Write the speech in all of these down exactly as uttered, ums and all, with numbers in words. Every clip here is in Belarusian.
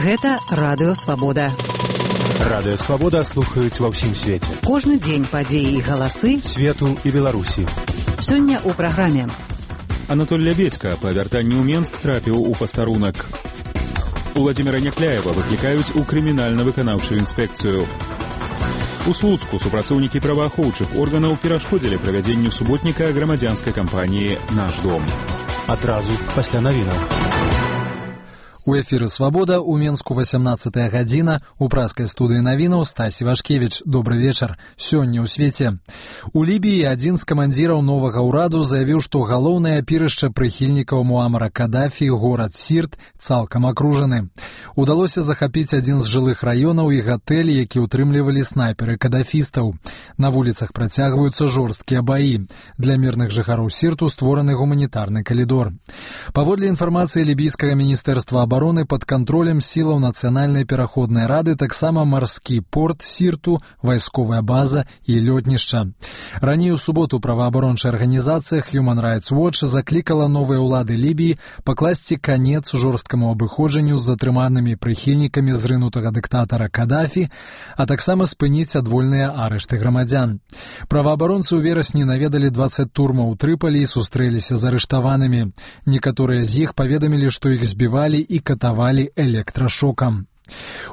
Гэта Радыё Свабода. Радыё Свабода слухаюць ва ўсім свеце. Кожны дзень падзеі і галасы свету і Беларусі. Сёння ў праграме. Анатоль Лябедзька па вяртанні ў Менск трапіў у пастарунак. Уладзіміра Някляева выклікаюць у крымінальна-выканаўчую інспекцыю. У Слуцку супрацоўнікі праваахоўчых органаў перашкодзілі правядзенню суботніка грамадзянскай кампаніі «Наш дом». Адразу пасля навінаў. У эфіры «Свабода» у Менску васямнаццатая гадзіна, у праскай студыі навінаў Стасі Вашкевіч. Добры вечар. Сёння ў свеце. У Лібіі адзін з камандзіраў новага ўраду заявіў, што галоўнае апірышча прыхільнікаў Муамара Кадафі, горад Сірт, цалкам акружаны. Удалося захапіць адзін з жылых раёнаў і гатэль, які ўтрымлівалі снайперы кадафістаў. На вуліцах працягваюцца жорсткія баі. Для мірных жыхароў Сірту створаны гуманітарны калідор. Паводле інфармацыі лібійскага міністэрства абароны, пад кантролем сілаў нацыянальнай пераходнай рады таксама марскі порт Сірту, вайсковая база і лётнішча. Раней у суботу праваабарончая арганізацыя Human Rights Watch заклікала новыя ўлады Лібіі пакласці канец жорсткаму абыходжанню з затрыманымі прыхільнікамі зрынутага дыктатара Кадафі, а таксама спыніць адвольныя арышты грамадзян. Праваабаронцы ў верасні наведалі дваццаць турмаў у Трыпалі і сустрэліся з арыштаванымі. Некаторыя з іх паведамілі, што іх збівалі і катавалі электрашокам.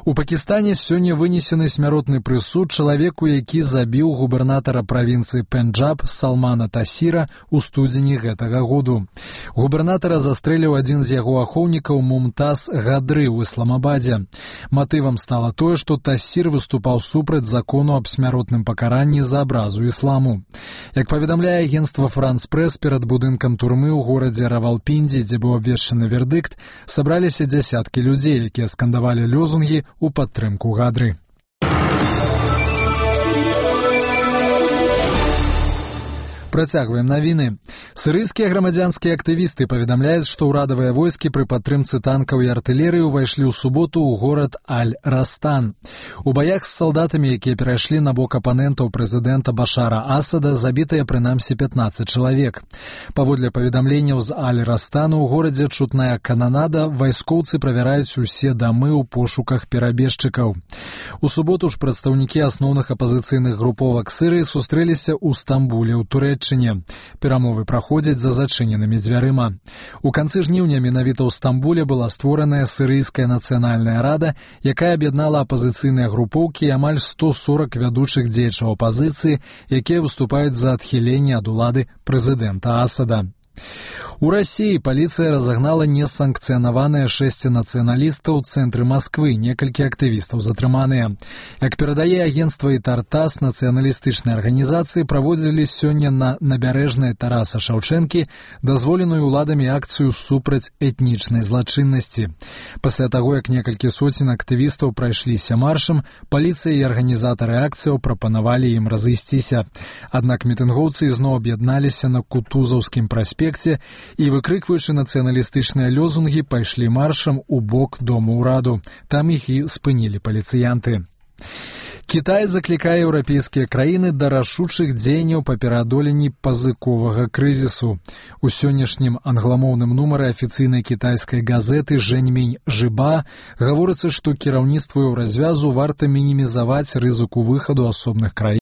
У Пакістане сёння вынесены смяротны прысуд чалавеку, які забіў губернатара правінцыі Пенджаб Салмана Тасіра ў студзені гэтага году. Губернатара застрэліў адзін з яго ахоўнікаў Мумтаз Гадры ў Ісламабадзе. Матывам стала тое, што Тасір выступаў супраць закону аб смяротным пакаранні за абразу ісламу. Як паведамляе агенцтва France Press, перад будынкам турмы ў горадзе Равалпінді, дзе быў абвешчаны вердыкт, сабраліся дзясяткі людзей, якія скандавалі лёзунгі у падтрымку Гадры. Працягваем навіны. Сірыйскія грамадзянскія актывісты паведамляюць, што ўрадавыя войскі пры падтрымцы танкаў і артылерыі ўвайшлі ў суботу ў горад Аль-Растан. У баях з салдатамі, якія перайшлі на бок апанентаў прэзідэнта Башара Асада, забітыя прынамсі пятнаццаць чалавек. Паводле паведамленняў з Аль-Растану ў горадзе чутная кананада, вайскоўцы правяраюць усе дамы ў пошуках перабежчыкаў. У суботу ж прадстаўнікі асноўных апазіцыйных груповак Сірыі сустрэліся ў Стамбуле ў Турэччыне. Перамовы праходзяць за зачыненымі дзвярыма. У канцы жніўня менавіта ў Стамбуле была створаная Сірыйская нацыянальная рада, якая аб'яднала апазіцыйныя групоўкі і амаль сто сорак вядучых дзеячаў апазіцыі, якія выступаюць за адхіленне ад улады прэзідэнта Асада. У Расіі паліцыя разагнала несанкцыянаваныя шэсць нацыяналістаў у цэнтры Масквы, некалькі актывістаў затрыманыя. Як перадае агенцтва «Ітар-Тасс», нацыяналістычныя арганізацыі праводзілі сёння на набярэжнай Тараса Шаўчэнкі дазволеную ўладамі акцыю супраць этнічнай злачыннасці. Пасля таго, як некалькі соцень актывістаў прайшліся маршам, паліцыя і арганізатары акцыяў прапанавалі ім разысціся. Аднак мітынгоўцы ізноў аб'ядналіся на Кутузаўскім праспекце і, выкрыкваючы нацыяналістычныя лёзунгі, пайшлі маршам у бок дому ўраду. Там іх і спынілі паліцыянты. Кітай заклікае еўрапейскія краіны да рашучых дзеянняў па пераадоленні пазыковага крызісу. У сённяшнім англамоўным нумары афіцыйнай кітайскай газеты «Жэньмінь Жыба» гаворыцца, што кіраўніцтву еўразвязу варта мінімізаваць рызыку выхаду асобных краін